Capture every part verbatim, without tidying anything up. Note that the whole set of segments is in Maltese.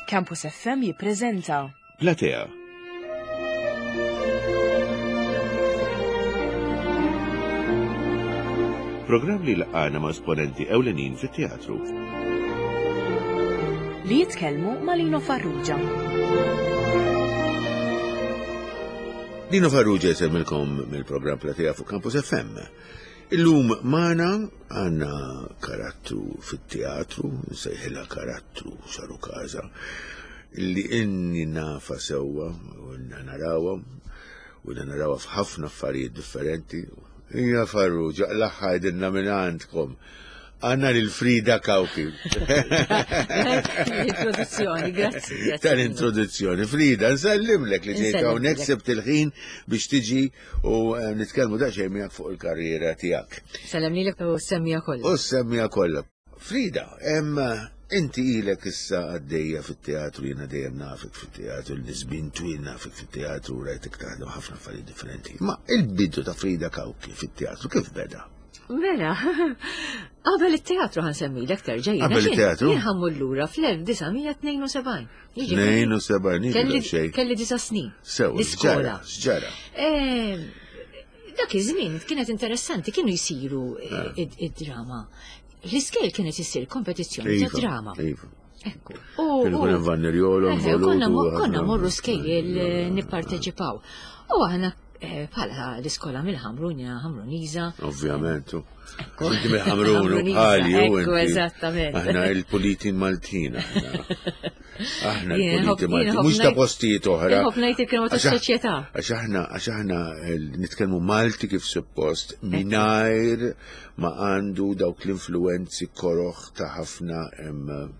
Campus F M jippreżenta Platea. Programm li laqana ma' esponenti ewlenin fit-teatru. Li jitkellmu ma' Lino Farrugia. Lino Farrugia jsemmilkom mill-programm Platea fuq Campus F M. Illum magħna għandna karattru fit-teatru, nsejħilha karattru saru kaza, li inni nafa sewwa u inna narawha u inna narawha f'ħafna affarijiet differenti. Ija Farrugia, l-aħħar dinna minn għandkom. Għandna lil Frida Cauchi. Introduzzjoni, grazzi. Grazzi. Tal-introduzzjoni. Frida, nsellimlek li ġejt Nsellimlek. Hawnhekk, sibt il-ħin biex tiġi u eh, nitkellmu daqsxejn miegħek fuq il-karriera tiegħek. Sellem lilek u s-semmiegħa kollha. U s-semmiegħa kollha. Frida, em, inti ilek issa għaddejja fit-teatru, jiena dejjem nafek fit-teatru, l-nisbin twil nafek fit-teatru, rajtek taħdem ħafna affarijiet differenti. Ma il-bidu ta' Frida Cauchi fit-teatru kif beda? Mela, qabel it-teatru ħa nsemmilek terġa' jiena. Qabel it-teatru? Jien ħa mmur lura fl-elf disa' mija tnejn u sebgħin. Jiġifieri, tnejn u sebgħin, Kelli xejn. Kelli disa' snin. Sew, L-iskola. x'ġara, x'ġara? Eh, Dak iż-żmien kienet interessanti, kienu jsiru Ah. id- id-drama. L-iskejjel kienet issir kompetizzjoni ta' Iva, drama. Iva. Ekku. U- Kienu kun u- hemm Vannirjolo, Eh, Konna mo- konna ħafna- morru skejjel eh, nipparteċipaw. U aħna eh, bħala l-iskola mill-Ħamrun, jiena Ħamruniża. Ovvjament. u. Ekku. Inti mill-Ħamrun u Ħamruniża, bħali u ekku, inti. eżattament. Aħna il-puliti Maltin, aħna. Aħna Jien il-puliti nħobb- Maltin, jien mhux ta' nħobb postijiet oħra. Nħobb ngħid il-kelma Għax aħ- tas-soċjetà. Għax aħna, għax aħna eh, nitkellmu Malti kif suppost, mingħajr ma għandu dawk l-influenzi koroħ ta' ħafna em,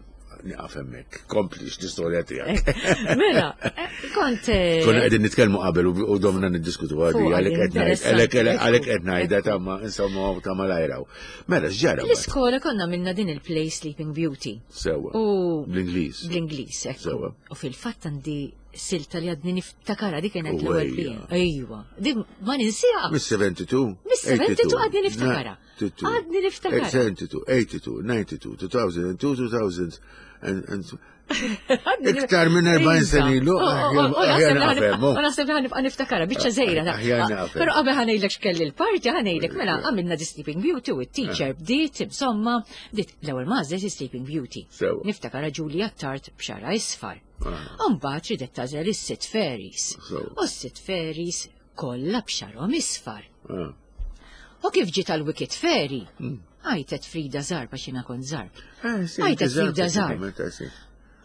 nieqaf hemmhekk. Kompli l-istorja tiegħek. Mela, eh, kont. eh, Konna qegħdin nitkellmu qabel u u domna niddiskutu għadi Fuq għalhekk qed ngħid- interessanti. għalhekk għalhekk qed ngħidha ta' ma insomma ta' malajraw. Mela x'ġara mbagħad? L-iskola konna minna din il-play Sleeping Beauty. Sewwa. U Bl-Ingliż. bl-Ingliż, ekku. Sewwa. U fil-fatt għandi silta li għadni niftakara, dik kienet U l-ewwel ejja. play. Ejwa, dik ma ninsiha. Mis-sebgħa u sebgħin? Mis-sebgħa u sebgħin għadni niftakara. Għadni niftakara. sebgħa u sebgħin, tnejn u sebgħin, disgħa u disgħin, elfejn u and iktar minn erbgħin sena ilu, aħjar nafhem, U naħseb li ħa nibqa' niftakara, biċċa żgħira. Aħjar nafhem. Però qabel ħa ngħidlek x'kelli l-parti, ħa ngħidlek mela għamilna The Sleeping Beauty u t-teacher bdiet, insomma, bdiet l-ewwel mażlet Sleeping Beauty. Sewwa. Niftakara Julia Tart b'xagħarha isfar. Ah. Mbagħad ridet tagħżel is-sitt fairies. Sewwa. U s-sitt fairies kollha b'xagħarhom isfar. Ah. U kif ġiet għal Wicked Fairy? Hmm. Għajtet Frida Zarb, għax jiena kont Zarb. Eh, sì, Għajtet eżatt, Frida Zarb. eżattament, sì.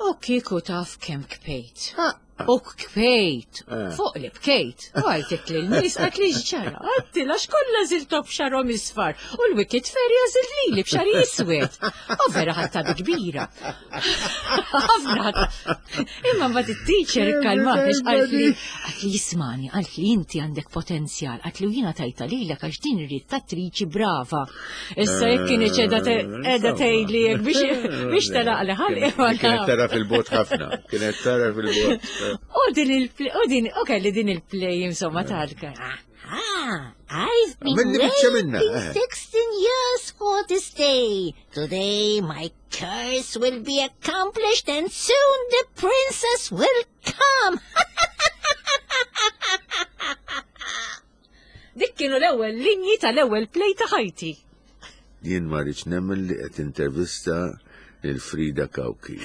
U kieku taf kemm bkejt. Ah, U bkejt. Eh. Fuq li bkejt. U għajtet li l-nies għat li x'ġara. Għatti lax kollha żiltom b'xagħarhom isfar. U l-Wicked Fairy għażilt li li b'xagħri iswed. U vera ħadtha bi kbira. Ħafna ħadtha. Imma mbagħad it-teacher kalmat għax qalt li qalt li jismani, qalt li inti għandek potenzjal, qalt li u jiena tajtha lilek għax din irrid attriċi brava. Issa jekk kien qiegħda qiegħda tgħidli jekk biex biex telaq li ħalqi ma Kienet naf. tara fil-bogħod ħafna. Kienet tara fil-bogħod. U din il-play, u din, u kelli din il-play insomma tal Ah, I've been Minni biċċa minna, waiting eh. sixteen years for this day. Today my curse will be accomplished and soon the princess will come. Dik kienu l-ewwel linji tal-ewwel play ta' ħajti. Jien ma rridx nemmen li qed intervista lil Frida Cauchi.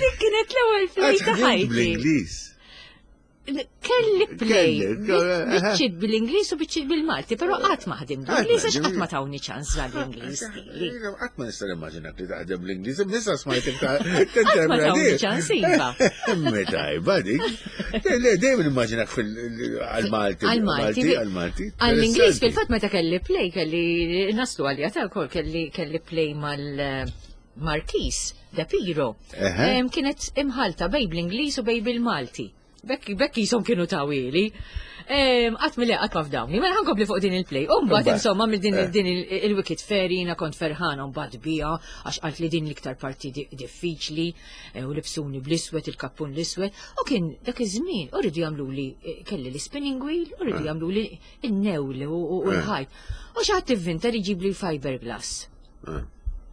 Dik kienet l-ewwel play ta' ħajti. Bl-Ingliż. Kelli play. Kelli, eh, Biċċiet bil-Ingliż u biċċiet bil-Malti, però qatt ma ħdim bl-Ingliż għax qatt ma tawni ċans għall-Ingliż. Qatt ma nista' nimmaġinak li taħdem bl-Ingliż, nista' smajtek ta' Qatt ma tawni ċans, iva. Meta dik. Le, dejjem nimmaġinak fil-Malti. Għal-Malti. Għal-Malti. Għall-Ingliż fil-fatt meta kelli play, kelli naslu għalija ta' kol, kelli kelli play mal Marquis de Piro. Eħe. Em, Kienet imħalta bejn bl-Ingliż u bejn bil-Malti. Bekk bekk jisom kienu tawili. Qatt mill qatt ma fdawni. Mela ħa nkompli fuq din il-play. U mbagħad Mbagħad. insomma mill din Eh. din il- il-Wicked Fairy jiena kont ferħana mbagħad bija għax qalt li din l-iktar parti di- diffiċli eh, u libsuni bl-iswed, il-kappun l-iswed. U kien dak iż-żmien u rridu jagħmlu li eh, kelli l-spinning wheel u rridu jagħmlu li n-newli u u- u l-ħajt. U xi ħadd ivvinta li jġib li fiberglass. Ah.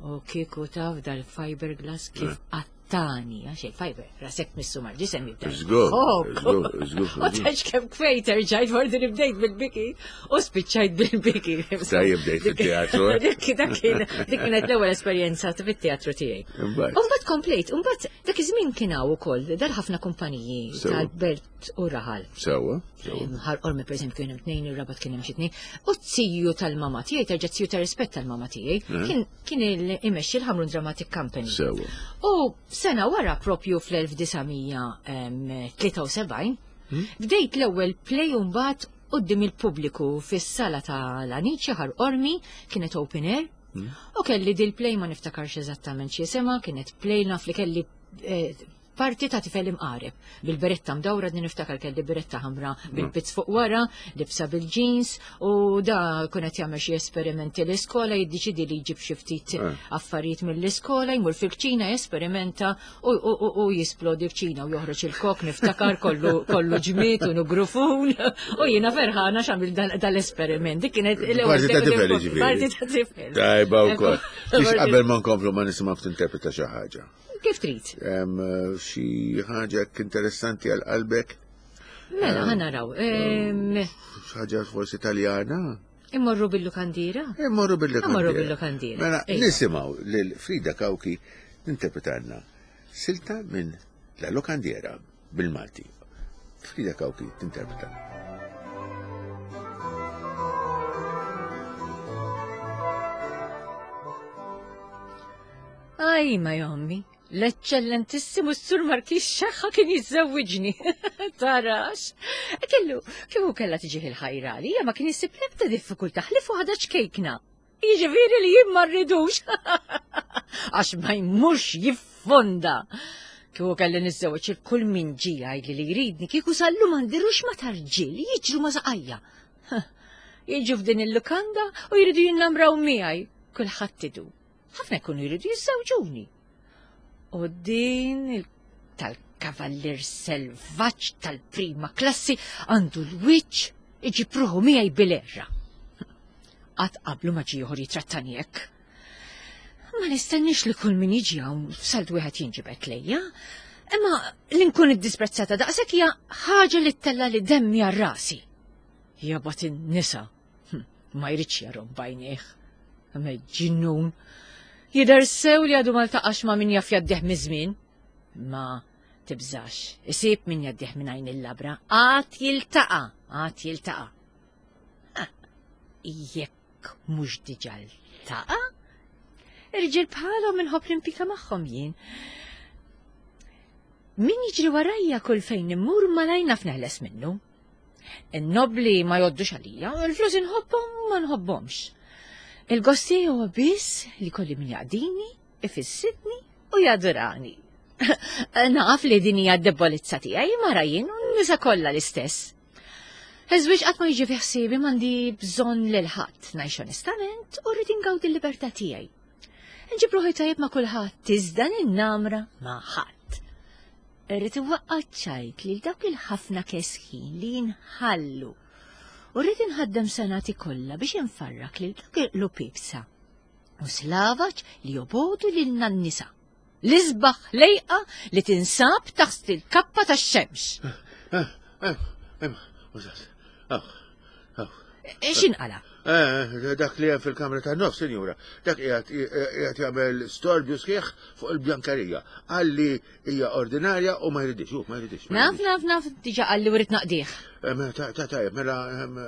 U kieku taf dal-fiberglass kif qattani, għax il-fiber, rasek missu mal-ġisem jibda. Żgur, Jħokk. żgur, żgur, U tax kemm kwejt erġajt fordi li bdejt bil-biki u spiċċajt bil-biki. Tajjeb bdejt fit-teatru, eh? Dik dak kien dik kienet l-ewwel esperjenza fit-teatru tiegħi. Imbagħad. U mbagħad komplejt, u mbagħad dak iż-żmien kien hawn ukoll dar ħafna kumpaniji Sewa. tal-belt u raħal. Sewwa, sewwa. Ħal Qormi per eżempju kien hemm tnejn, ir-Rabat kien hemm xi tnejn. U t-tiju tal-mama tiegħi, terġa' tiju ta' rispett tal-mama tiegħi, kien kien il- imexxi l-Ħamrun Dramatic Company. Sewwa. U sena wara propju fl-elf disa' mija tlieta u sebgħin, bdejt l-ewwel play u mbagħad quddiem il-pubbliku fis-sala tal-Anici Ħal Qormi, kienet open air. U kelli dil play ma niftakarx eżattament x'jisimha, kienet play naf li kelli, eh, parti ta' tifel imqareb. Bil-beretta mdawra, din niftakar kelli beretta ħamra bil-pizz fuq wara, libsa bil-jeans, u da kunet jagħmel xi esperimenti l-iskola, jiddeċidi li jġib xi ftit Eh. affarijiet mill-iskola, jmur fil-kċina jesperimenta u, u, u, u jisplodi l-kċina u joħroġ il-kok, niftakar kollu, kollu ġmiet u nugrufun, u jiena ferħana x'għamil dal-, dal-esperiment. Dik kienet l-ewwel Parti ta' tifel, tifel, jiġifieri. Parti ta' tifel. Tajba wkoll. Ekku. Biex qabel ma nkomplu ma nisimgħu tinterpreta xi ħaġa. Kif trid? Hemm xi ħaġa hekk interessanti għal qalbek? Mela, ħa naraw. Ehm, Xi ħaġa forsi Taljana? Immorru bil-lukandira? Immorru bil-lukandira. Immorru bil-lukandira. Mela, Ejja. nisimgħu lil Frida Cauchi ninterpretanna silta minn La Locandiera bil-Malti. Frida Cauchi tinterpreta. Aj, ma jommi, l-eccellentissimu s-sur Markis Xaħħa kien jiżżewwiġni. Tarax. Kellu, kieku kellha tiġi il-ħajra li, ma kien jisib l-ebda diffikultà ħlifu ħada ċkejkna. Jiġifieri li jien ma rridux. Għax ma jmurx jiffonda. Kieku kelli niżżewweġ il kull min ġie jgħidli li jridni, kieku sallu ma ndirux ma tarġiel, jiġru ma saqajja. Jiġu f'din il-lukanda u jridu jinnamraw miegħi. Kulħadd idu. Ħafna jkunu jridu jiżżewġuni. U din il-, tal-kavallier selvaġġ tal-prima klassi għandu l-wiċċ iġib ruħu miegħi bil-erra. Qatt qablu ma ġie ieħor jitrattani hekk. Ma nistennix li kull min jiġi hawn f'salt wieħed jinġibed lejja, imma li nkun iddisprezzata daqshekk hija ħaġa li ttella li demmi għal rasi. Jabgħat in-nisa, hm, ma jridx jarhom b'għajnejh. Ġinnun. Jidher sew li għadu ma ltaqax ma' min jaf jaddih miż-żmien. Ma tibżax, isib min jaddih minn għajn il-labra. Għad jiltaqa', għad jiltaqa'. Ah, jekk mhux diġà ltaqa', irġiel bħalhom inħobb l-impika magħhom jien. Min jiġri warajja kull fejn immur malajr naf neħles minnu. In-nobli ma joddux għalija, il-flus inħobbhom ma nħobbhomx. Il-gosti huwa biss li kolli min jaqdini, ifissidni u jadurani. Naf li din hija d-debolizza tiegħi mara jien u n-nisa kollha l-istess. Iż-żwieġ qatt ma jiġi fi ħsiebi, m'għandi bżonn lil ħadd, ngħix onestament u rrid ingawdi l-libertà tiegħi. Nġib ruħi tajjeb ma' kulħadd, iżda ninnamra ma' ħadd. Irrid iwaqqa' ċajt lil dawk il-ħafna kesħin li jinħallu. U rrid inħaddem senati kollha biex infarrak lil dawk il-lupibsa. U slavaġ li jobodu lil nisa. L-isbaħ lejqa li tinsab taħt il-kappa tax-xemx. X'inqala? Eh, dak li hemm fil-kamra tan-nofs, sinjura, dak qiegħed qiegħed jagħmel storbju sħiħ fuq il-bjankerija. Qalli hija ordinarja u ma jridix, hu, ma jridix, ma Naf, jridix. naf, naf, diġà qalli u rrid naqdih. Eh, mela, ta-, ta-, tajjeb, mela, ehm,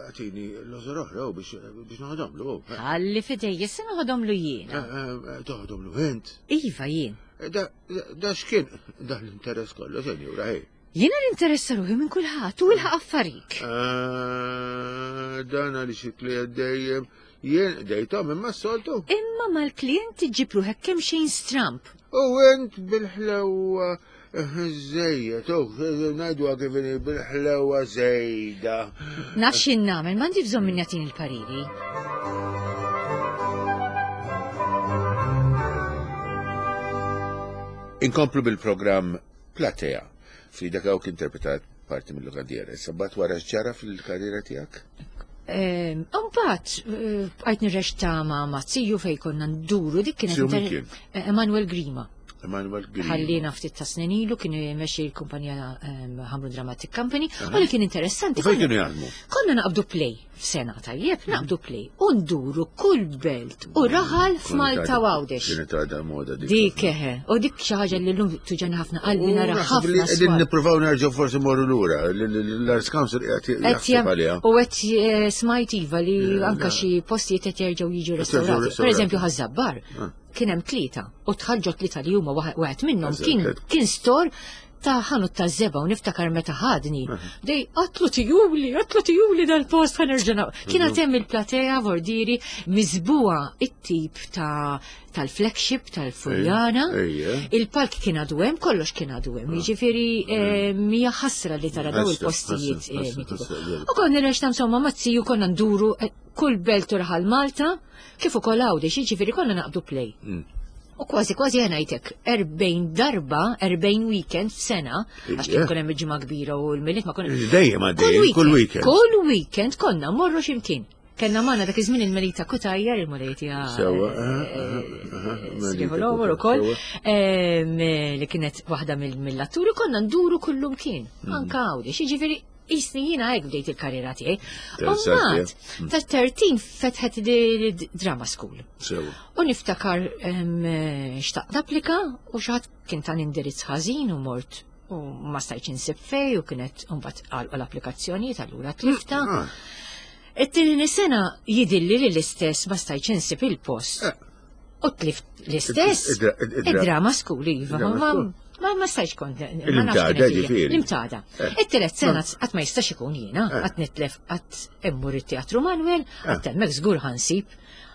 għatini l-ożor oħra, u biex, biex noħodhomlu, hu. Ħalli fidej, issa noħodhomlu jiena. Eh, eh, toħodhomlu int? Iva, jien. Eh, da, da, da x'kien da l-interess kollu, sinjura, hej. Jiena l-interessa ruħi minn kulħadd u ilħaq affarik. Eh, dan għaliex il-klient dejjem jien dejtom imma s-soltu. Imma mal-klient iġib ruħek kemm xejn stramp. U int bil-ħlewa żejjed, u ngħidu kif inhi bil-ħlewa żejda. Naf x'in nagħmel, m'għandi bżonn min jagħtini l-pariri. Inkomplu bil-programm Platea. Frida Cauchi interpretat parti mill-lokandiera. Issa mbagħad wara x'ġara fil-karriera tiegħek? Mbagħad bqajt nirreċta ma' ma' ziju fejn konna nduru dik kienet Ziju min inter- kien? eh, Emanuel Grima. Emanuel Grima. Ħallina ftit ta' snin ilu kien jmexxi l-kumpanija ehm, Hamrun Dramatic Company u li kien interessanti. U fejn konna- kienu jaħdmu? Konna naqbdu play f'sena tajjeb, naqbdu play u nduru kull belt u raħal f'Malta u Għawdex. Kienet għadha moda dik. Dik eħe, u dik xi ħaġa li llum tuġani ħafna qalbi U nara naħseb li ħafna qegħdin swar. nippruvaw nerġgħu forsi morru lura. L-Arts Council qiegħed Qed jaħseb jam- għaliha. U qed eh, smajt iva li Le, anka le. xi postijiet qed jerġgħu jiġu Qed jerġgħu restaurati. Per restaurati. eżempju Ħaż-Żabbar Ah. kien hemm tlieta u tħallġu tlieta li huma waħ- wieħed minnhom Eżatt, kien qed. kien store ta' ħanut ta' żebgħa u niftakar meta ħadni. Dej qatlu tijuli, qatlu tijuli dal-post ħa nerġa' naq-. Kien għad hemm il-platea vordiri miżbuha it-tip ta' tal-flagship tal-Furjana. Ejja. Il-palk kien għadu hemm, kollox kien għadu hemm. Jiġifieri eh, mija ħasra li tara daw Ħasra, il-postijiet. ħasra, eh, ħasra, mitiku. ħasra, vera. U konna nirreċta insomma ma' ziju konna nduru eh, kull belt u raħal Malta, kif ukoll Għawdex, jiġifieri konna naqbdu play. Mm. U kważi kważi ngħidlek erbgħin darba, erbgħin weekend f'sena, għax kien Ija. ikun hemm il-ġimgħa kbira u l-Milied ma konna. Dejjem għaddej, kull weekend. Kull weekend konna morru x'imkien. Kellna magħna dak iż-żmien il-Melita Cutajar, il-Mulejtija. Sewwa, aha, aha, aha, Melita Sriħu l-omor ukoll, Sewwa. em, li kienet waħda mill- mill-atturi, konna nduru kullum kien, Mm. anka Għawdex, jiġifieri jisni jiena hekk bdejt il-karriera tiegħi. Interessanti, Mbagħad, eh? ta' tlettax fetħet di drama school. Sewwa. U niftakar em, eh, xtaqt napplika u xi ħadd kien ta' indirizz ħażin u mort u ma stajtx insib fej u kienet mbagħad għalqu l-applikazzjonijiet allura tlifta. Ah, It-tieni sena jidilli li l-istess ma stajtx insib il-post. Eh. U tlift l-istess. Id-dra- id-dra- Id-drama school, iva. Id-drama Ma- school. Ma ma stajtx kont. ma nafx Il-imtada, kienet hija. ġifieri. L-imtada. Eh. It-tielet sena qatt ma jistax ikun jiena, Eh. qatt nitlef qatt immur it-Teatru Manuel, Eh. qatt hemmhekk żgur ħansib.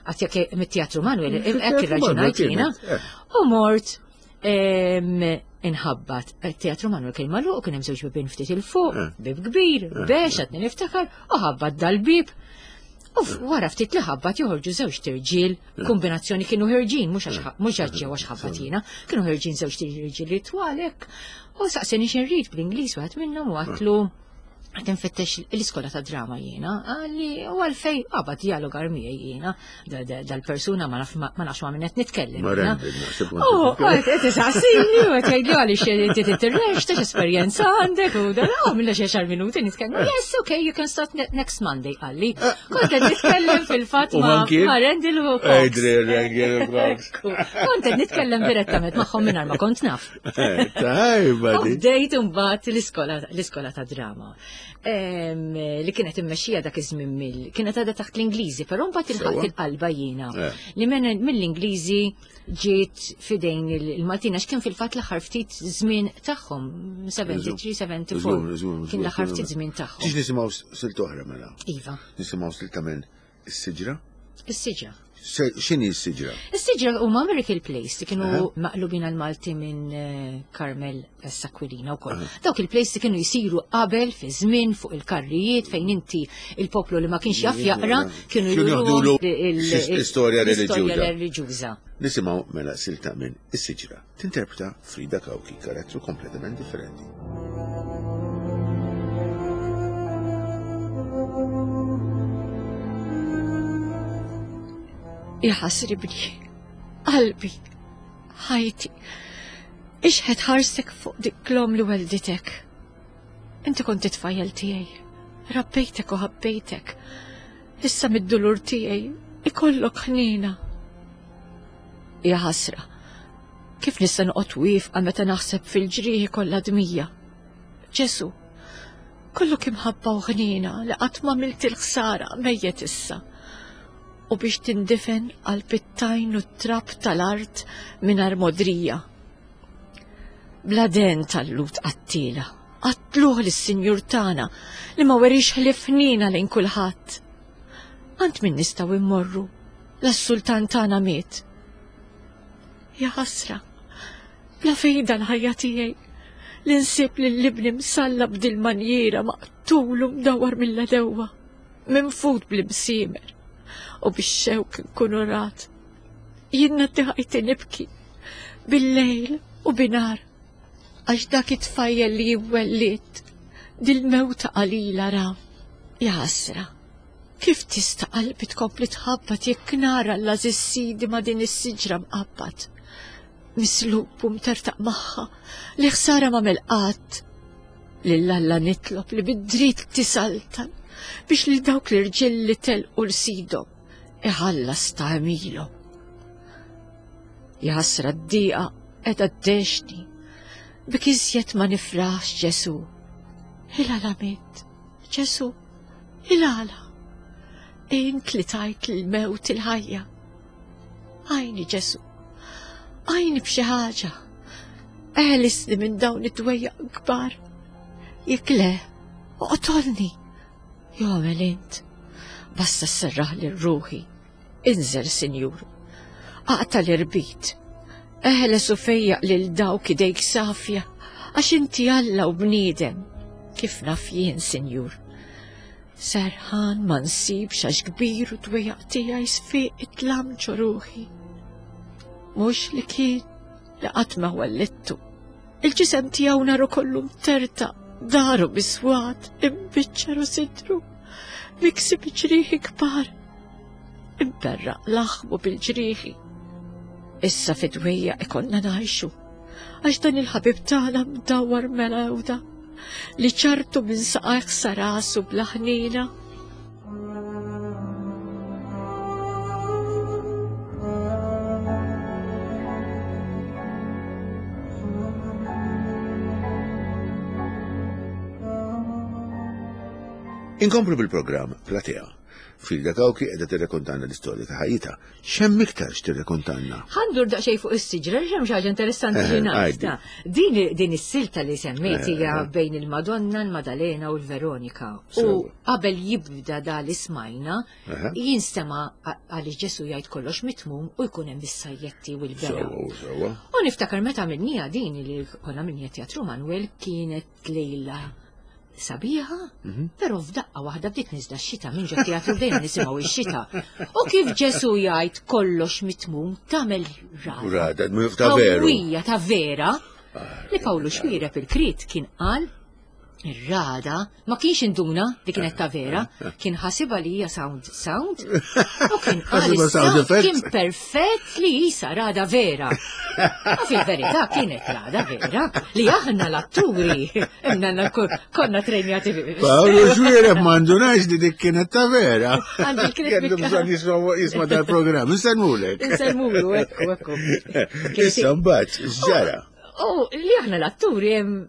Qatt jekk mit-Teatru Manuel, hekk Teatru Manuel irraġunajt jiena. kienet, eh. U mort em, inħabbat. Teatru Manuel kien magħluq, kien hemm żewġ bibien ftit 'il fuq, Eh. bib kbir, bex qed niftakar, u ħabbat dal-bib. U f- wara ftit li ħabbat joħorġu żewġ tirġiel, kombinazzjoni kienu ħerġin, mhux għax mhux għax ġew għax ħabbat jiena, kienu ħerġin żewġ tirġiel li twalek. U saqseni x'inrid bl-Ingliż wieħed minnhom u għedtlu qed infittex l-iskola ta' drama jiena, għalli u għalfej qabad dialogar miegħi jiena, da- da- dal-persuna ma naf ma nafx ma' min qed nitkellem. Ma jiena. Rendel, naħseb kont U titkellem. qed isaqsini u qed jgħidli għaliex inti titirrex, ta' esperjenza għandek u dan oh minna xi għaxar minuti nitkellem. Yes, okay, you can start ne- next Monday, qalli. Kont qed nitkellem fil-fatt U ma' man kien? ma' Rendel u Cox. Adrian Rendel u Cox. Ekku. Kont qed nitkellem direttament magħhom mingħajr ma kont naf. Eh, Tajba U di. bdejt imbagħad l-iskola l-iskola ta' drama. Em, li kienet immexxija dak iż-żmien mill kienet għadha taħt l-Ingliżi, però mbagħad ilħaqt Sewwa. il-qalba jiena. Eh. Li men mill-Ingliżi ġiet fidejn il- il-Maltin għax kien fil-fatt l-aħħar ftit żmien tagħhom, sebgħa u sebgħin, sebgħa u erbgħa. Żgur, żgur, Kien l-aħħar żgur. ftit żmien tagħhom. Tix nisimgħu silta oħra mela. Iva, Nisimgħu silta minn is-siġra. is-siġra. Se- X'inhi s-siġra? Is-siġra huma Miracle Plays li kienu Aha. maqlubin għal Malti minn eh, Carmel Aquilina wkoll. Dawk il-plays li kienu jsiru qabel fi żmien fuq il-karrijiet fejn inti il-poplu li ma kienx jaf jaqra kienu Kienu juruhom jaħdulu il- il- l-istorja l-istorja reliġjuża. reliġjuża. Nisimgħu mela silta minn is-siġra. Tinterpreta Frida Cauchi, karattru kompletament differenti. Jaħasribni, qalbi, ħajti, ixħet ħarsek fuq dik l-om li welditek. Inti kont it-tfajjel tiegħi, rabbejtek u ħabbejtek. Issa mid-dulur tiegħi ikollok ħnina. Ja ħasra, kif nista' noqgħod wieqfa meta naħseb fil-ġrieħi kollha dmija. Ġesu, kollok imħabba u ħnina li qatt ma milt il-ħsara mejjet issa u biex tindifen għal pittajn u trab tal-art mingħajr modrija. Bla den tal-lut qattila, qatluh lis-sinjur tagħna li ma werix ħlief ħnina lejn kulħadd. Għand min nistgħu immorru, la s-sultan tagħna miet. Ja ħasra, bla fejda l-ħajja tiegħi li nsib lil ibni msallab dil-manjiera maqtul u mdawar mill-għedewwa, minfud bl-imsiemer u bix-xewk nkun rat. Jien ngħaddi ħajti nibki bil-lejl u binhar għax dak it-tfajjel li wellidt dil-mewta qalila ra. Ja ħasra, Kif tista' qalbi tkompli tħabbat jekk nara l-għażiż sidi ma' din is-siġra mqabbad? Mislub u mtertaq magħha li ħsara m'għamel qatt. Lil Alla nitlob li bid-dritt tisaltan biex lil dawk l-irġiel li telqu l sidhom iħallas ta' għemilhom. Jaħasra d-dieqa qiegħda ddexni bik iżjed ma nifraħx Ġesù. Il-għala mitt, Ġesù, il-għala. Int li tajt l-mewt il-ħajja. Għajni Ġesù, għajni b'xi ħaġa. Eħlisni minn dawn id-dwejjaq kbar. Jekk le, oqtolni. Jew agħmel int. Basta sserraħ lil ruħi. Inżel, Sinjur. Aqta' l-irbit. Eħles u fejjaq lil dawk idejk safja, għax inti Alla u bniedem, kif naf jien, Sinjur. Serħan ma nsibx għax kbir u dwejjaq tiegħi sfiq it-tlam ġo ruħi. Mhux li kien li qatt ma wellidtu. Il-ġisem tiegħu naru kollu mtertaq, daru biswat, imbiċċer u sidru, miksi bi ġrieħi kbar, imberraq laħmu bil-ġrieħi. Issa fid-dwejjaq ikollna ngħixu, għax dan il-ħabib tagħna mdawwar melewda li ċartu minn saqajh sa rasu bla ħniena. Inkomplu bil-programm Platea. Frida Cauchi qiegħda tirrekontanna l-istorja ta' ħajjitha. X'hemm iktar x'tirrekontanna? Ħa ndur daqsxejn fuq is-siġra, x'hemm xi ħaġa interessanti Eh, li ngħid. għajdi. ta' Din din is-silta li semmejt hija Eh, eh. bejn il-Madonna, il-Madalena u l-Veronika. U Sewa. qabel jibda da li smajna, Aha. jinstema' għaliex Ġesu jgħid kollox mitmum u jkun hemm is-sajjetti u l-bera. Sewa, sewa. U niftakar meta minnija din li konna minnija Teatru Manuel kienet lejla sabiħa, però f'daqqa waħda bdiet niżla x-xita minn ġo teatru bdejna nisimgħu x-xita. U kif Ġesu jgħid kollox mitmum tagħmel rada. Rada, ta' veru. Qawwija ta' vera li Pawlu Xuereb il-Krit kien qal ir-rada ma kienx induna li kienet ta' vera, kien ħasibha li hija sound sound u kien qal Ħasibha sound is-sound effect. kien perfett li jisa rada vera. U fil-verità kienet rada vera li aħna l-atturi imma konna trenjati Pawlu Xuereb m'indunax li dik kienet ta' vera. Għandu l-kienet Kellu bikka. bżonn jisma' jisma' dal-programm. Insellmulek. Insellmulu, ekku, ekku. Issa mbagħad x'ġara? U li aħna l-atturi hemm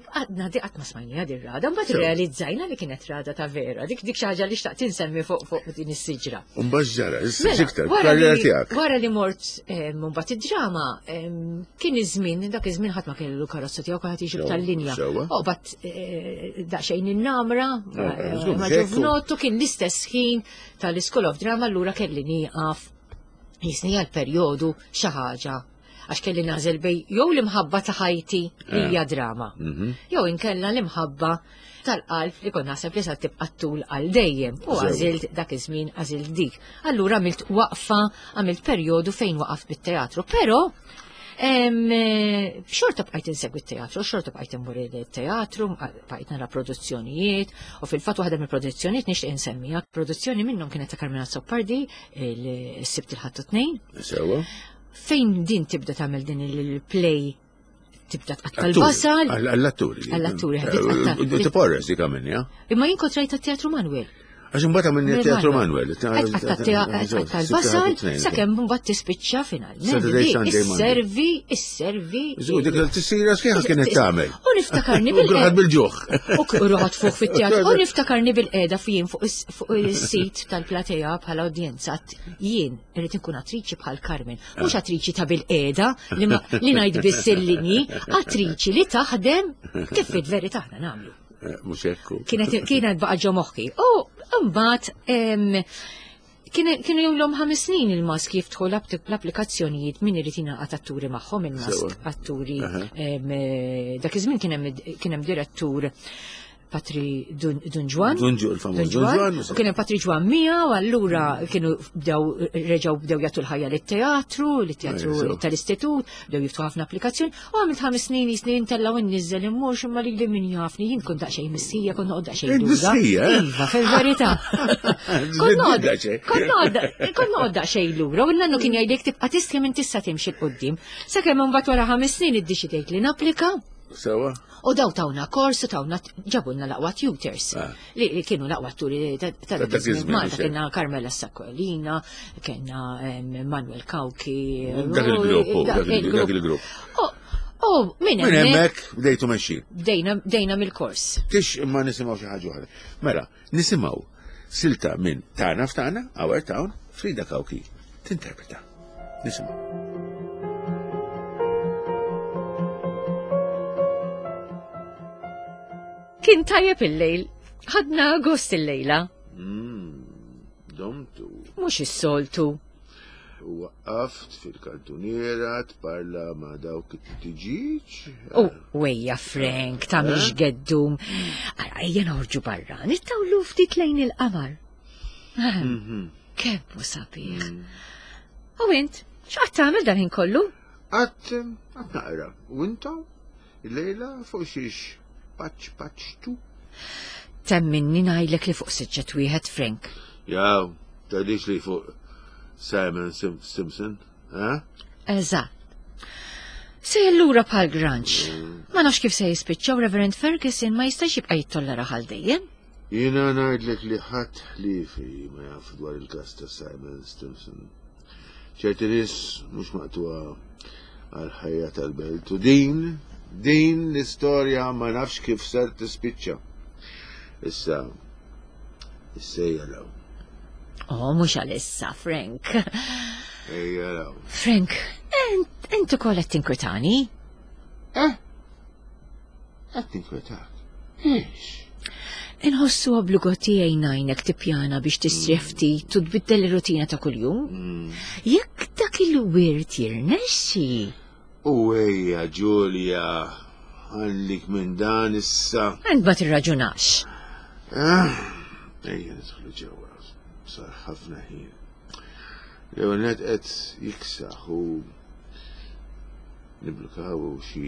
għadna di qatt ma smajnija di rada, mbagħad Sew. realizzajna li kienet rada ta' vera, dik dik xi ħaġa li xtaqt insemmi fuq fuq din is-siġra. Mbagħad x'ġara? Issa Mela, x'iktar, wara karriera li- tiegħek. Wara li mort em, mbagħad id-drama, em, kien iż-żmien, dak iż-żmien ħadd ma kellu karozza tiegħu kulħadd jiġi Sewa, tal-linja. sewa. U bat eh, daqsxejn in-namra, Eh, eh, żgur, ma xekku. ġuvnottu kien l-istess ħin tal-School of Drama allura kelli nieqaf jisni għal perjodu xi ħaġa għax kelli nażel bej jew l-imħabba ta' ħajti li hija drama. Mhm. Jew inkella l-imħabba tal-qalb li kont naħseb li sa tibqa' tul għal dejjem u Sewa. għażilt dak iż-żmien għażilt dik. Allura għamilt waqfa, għamilt perjodu fejn waqaf bit-teatru, però em, eh, xorta bqajt insegwi t-teatru, xorta bqajt immur il-teatru, bqajt nara produzzjonijiet, u fil-fatt waħda mill-produzzjonijiet nixtieq insemmija. Produzzjoni minnhom kienet ta' Carmela Azzopardi, il-Sibt il-Ħadd u Tnejn, Sewa. fejn din tibda tagħmel din il-play tibda tqatta' Atturi. l-basal. Għall-atturi. Għall-atturi, ħabib tqatta' Eh, Porres dik għamilni, Imma jien kont rajta teatru Manuel. Għax imbagħad għamilni teatru Manuel. Tqatta' l-basal sakemm mbagħad tispiċċa finalment. Saturday, Di Sunday, Monday. Isservi, isservi. Żgur, dik l-tissira sħiħa kienet tagħmel. U niftakarni U kulħadd bil bil-ġuħ. U ruħat fuq fit-teatru. U niftakarni bil-qeda jien fuq is- fuq is-sit tal-platea bħala udjenza. Jien irrid inkun attriċi bħal Carmen, mhux attriċi ta' bil-qeda li ma- li ngħid biss il-linji, attriċi li taħdem kif fil-verità aħna nagħmlu. Eh, Mhux hekk. Kienet kienet baqa' ġo moħħi. U mbagħad em, kienu kienu jomlhom ħames snin il-mask jiftħu l-applikazzjonijiet min irid jingħaqad atturi magħhom il-mask Sewa. atturi. Aha. em, eh, Dak iż-żmien kien hemm kien hemm direttur Patri Dun Ġwan. Dun Ġwan. U kien hemm Patri Ġwan Mija, u allura kienu bdew reġgħu bdew jagħtu l-ħajja lit-teatru, lit-teatru tal-istitut, bdew jiftħu ħafna applikazzjoni, u għamilt ħames snin snin tellgħu nniżel immur imma lili min jafni jien kont daqsxejn missija, kont noqgħod daqsxejn lura. Iva, fil-verità. Kont noqgħod daqsxejn lura, u n-nannu kien jgħidlek tibqa' tistħi minn tista' timxi 'l quddiem. Sakemm imbagħad wara ħames snin iddeċidejt li napplika. Sewa. U daw tawna kors, u tawna ġabulna l-aqwa tutors. Li kienu l-aqwa turi ta' Malta, kienna Carmela Saccolina, kienna Manuel Cauchi. Dak il-grupp, dak il-grupp. U minn hemmhekk bdejtu mexxin. Bdejna mill-kors. Tix imma nisimgħu xi ħaġa oħra. Mela, nisimgħu silta minn Tagħna f'Tagħna, Our Town, Frida Cauchi tinterpreta. Nisimgħu. Kien tajjeb il-lejl, ħadna gost il-lejla. Domtu. Mhux is-soltu. U waqqaft fil-kantuniera tparla ma' dawk it-tiġiġ. U wejja Frank, tagħmilx geddum. Ara ejja noħorġu barra, nittawlu ftit lejn il-qamar. Kemm hu sabiħ. U int, x'qatt tagħmel dan ħin kollu? Qatt qatt naqra. U intom? Il-lejla fuq xiex? Paċ, paċ, tu. Temminni ngħidlek li fuq siġġet wieħed, Frank. Jaw, tgħidix li fuq Simon Simpson, eh? Eżatt. Se lura bħal granċ. Ma nafx kif se jispiċċaw Reverend Ferguson ma jistax jibqa' jittollera għal dejjem. Jiena ngħidlek li ħadd ħliefi ma jaf dwar il-każ ta' Simon Simpson. Ċerti nies mhux maqtuha għal ħajja tal-belt u din Din l-istorja ma nafx kif ser tispiċċa. Issa, issa jaraw. Oh, mhux għalissa, Frank. Ejja raw. Frank, ent ukoll qed tinkwetani? Eh? Qed tinkwetak? Ix? Inħossu obbligo tiegħi ngħinek tippjana biex tistrieħ ftit u tbiddel ir-rutina ta' kuljum. Jekk dak il-wirt jirnexxi. U ejja, Ġulja, għallik minn dan issa. Ent ma tirraġunax. Ejja, nidħlu ġewwa, sar ħafna ħin. L-ewwel nett qed jiksaħ u niblukaw xi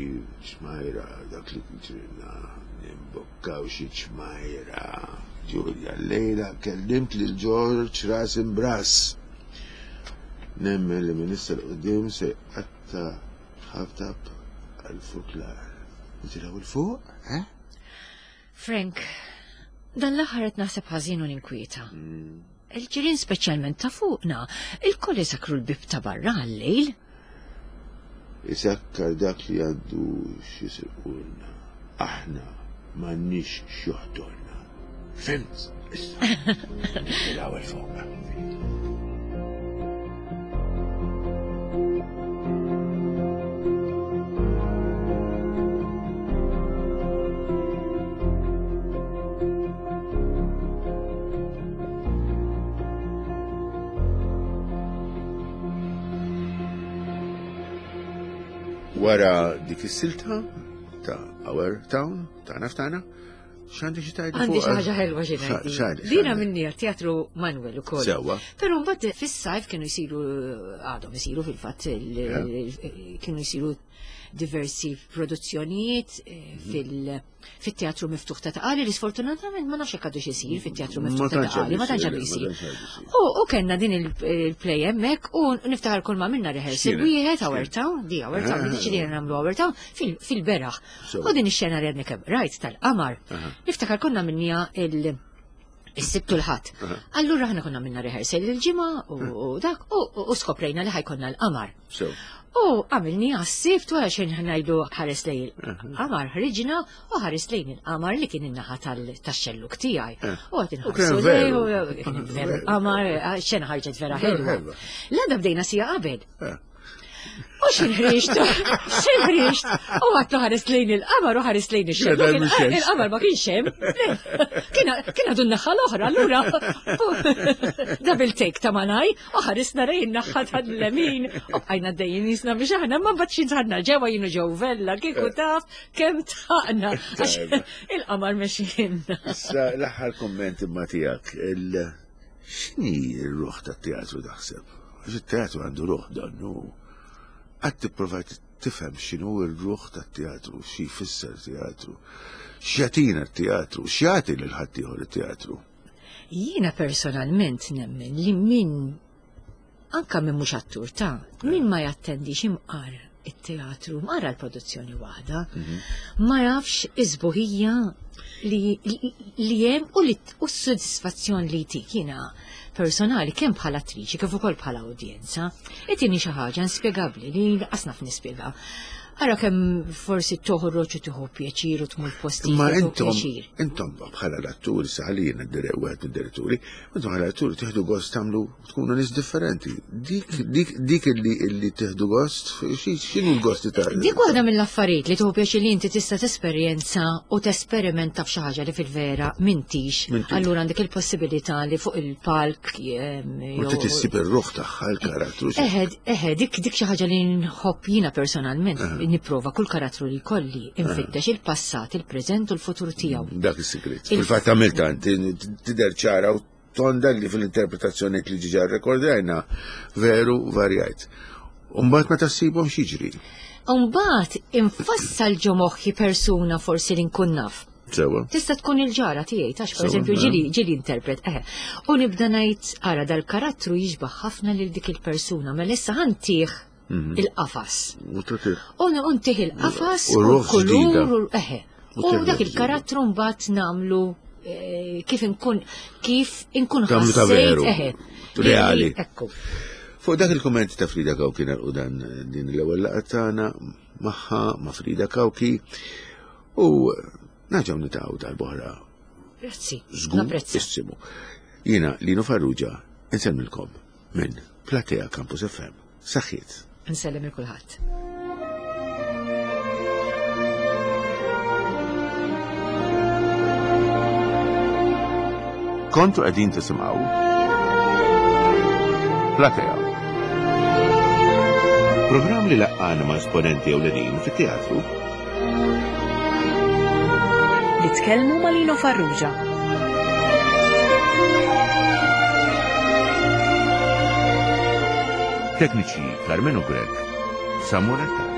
ċmajra dak li ġrilna, nimbokkaw xi ċmajra. Ġulja, llejla kellimt lil George ras imbras. Nemmen li minn issa 'l quddiem se jqatta' ħabtab għal-fuklar. Nitilgħu 'l fuq, eh? Frank, dan l-aħħar qed naħseb ħażin u ninkwieta. Il-ġirien speċjalment ta' fuqna, il-koll isakru l-bib ta' barra għal-lejl. Isakkar dak li għandu x'jisirqulna. Aħna m'għandniex x'joħdolna. Fimt? Issa. Nitilgħu 'l fuq. Wara dik is-silta ta' Our Town, Tagħna f'Tagħna, x'għandi xi tgħidli fuq? Għandi xi ħaġa ħelwa xi ngħidli. Dina minni għat-teatru Manuel ukoll. Sewwa. Però mbagħad fis-sajf kienu jsiru għadhom isiru fil-fatt kienu jsiru diversi produzzjonijiet fil-teatru miftuħ ta' Taqali li sfortunatament ma nafx hekk għadu x'isir fit-teatru miftuħ ta' Taqali, ma tantx għadu jsir. U kellna din il-play hemmhekk u niftaħar kull ma minna rehearsal wieħed Our Town, di Our Town, deċidejna nagħmlu Our Town fil-beraħ. U din ix-xena li għadni kemm rajt tal-qamar. Niftakar konna minnija il- Is-Sibt u l-Ħadd. Allura aħna konna minna rehearsal il-ġimgħa u dak u skoprejna li ħajkonna l-qamar. U għamilni għas-sibt wara xejn ngħidu ħares lejn il-qamar, ħriġna u ħares lejn il-qamar li kien in-naħa tax-xelluk tiegħi. U qed inħarsu lejn kien veru l-qamar, xena ħarġet vera ħelwa. L-għada bdejna sija qabel. U xinħriġt, xinħriġt, u għatlu ħares lejn il-qamar u ħares lejn ix-xemx. Il-qamar ma kienx hemm. Kien għadu n-naħa l-oħra, allura. Double take ta' malaj, u ħaresna lejn in-naħa tal-lemin, u bqajna dejjem jisna biex aħna ma mbagħad xi dħalna ġewwa jienu ġew vella, kieku taf kemm taqna. Il-qamar mexjinna. Issa l-aħħar kumment imma tiegħek, x'inhi r-ruħ tat-teatru taħseb? Għax it-teatru għandu ruħ donnu. Għad tipprova tifhem x'inhu r-ruħ tat-teatru, xi jfisser teatru, x'jagħtina t-teatru, x'jagħti lil ħaddieħor it-teatru. Jiena personalment nemmen li min anka min mhux attur ta' min ma jattendix imqar it-teatru, mqar l-produzzjoni waħda, ma jafx iż-sbuħija li hemm u s-sodisfazzjon li jtik. Jiena personali kemm bħala attriċi kif ukoll bħala udjenza, itini xi ħaġa inspjegabbli li lanqas naf nispjega. Ara kemm forsi toħroġ u tieħu pjaċir u tmur postijiet. Ma intom, intom bħala l-atturi, saħalina wieħed mid-diretturi, intom bħala l-atturi tieħdu gost tagħmlu tkunu nies differenti. Dik dik dik illi illi tieħdu gost, x'inhu l-gost ta' Dik waħda mill-affarijiet li tieħu pjaċir li inti tista' tesperjenza u tesperimenta f'xi ħaġa li fil-vera m'intix. Allura għandek il-possibilità li fuq il-palk u tissib ir-ruħ tagħha l-karattru. Eħe, eħe, dik dik xi ħaġa li nħobb jiena personalment. Nipprova kull karattru li kolli infittex il-passat, il-preżent u l-futur tiegħu. Dak is-sigrit. Fil-fatt għamilta tidher ċara u tonda li fil-interpretazzjoni li ġiġa rrekordajna veru varjajt. Umbagħad meta ssibhom x'jiġri? Umbagħad infassal ġo moħħi persuna forsi li nkun naf. Sewa. Tista' tkun il-ġara tiegħi tax pereżempju ġili ġili interpret eħe. U nibda ngħid ara dal-karattru jixbaħ ħafna lil dik il-persuna, mela issa ħantih il-qafas. U untih il-qafas u l-kulur eħe. U dak il-karattru mbagħad nagħmlu kif inkun kif inkun ħassejt eħe. Reali. Ekku. Fuq dak il-kumment ta' Frida Cauchi nagħlqu dan din l-ewwel laqgħa tagħna magħha ma' Frida Cauchi u naġgħu nitaqgħu darb'oħra. Grazzi. Żgur issimu. Jiena Lino Farrugia insellmilkom minn Platea Campus F M. Saħħiet. Nsellem il kulħadd. Kontu qegħdin tisimgħu Platea. Programm li laqqana ma' esponenti ewlenin fit-teatru. Nitkellmu ma' Lino Farrugia. Tekniċi Carmenu Grech, Samuel Attard.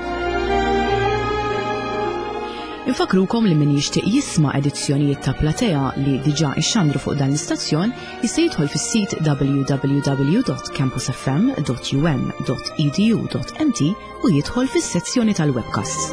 Infakrukom li min jixtieq jisma' edizzjonijiet ta' Platea li diġà ixxandru fuq dan l-istazzjon jista' jidħol fis-sit w w w dot campus f m dot u m dot e d u dot m t u jidħol fis-sezzjoni tal-webcasts.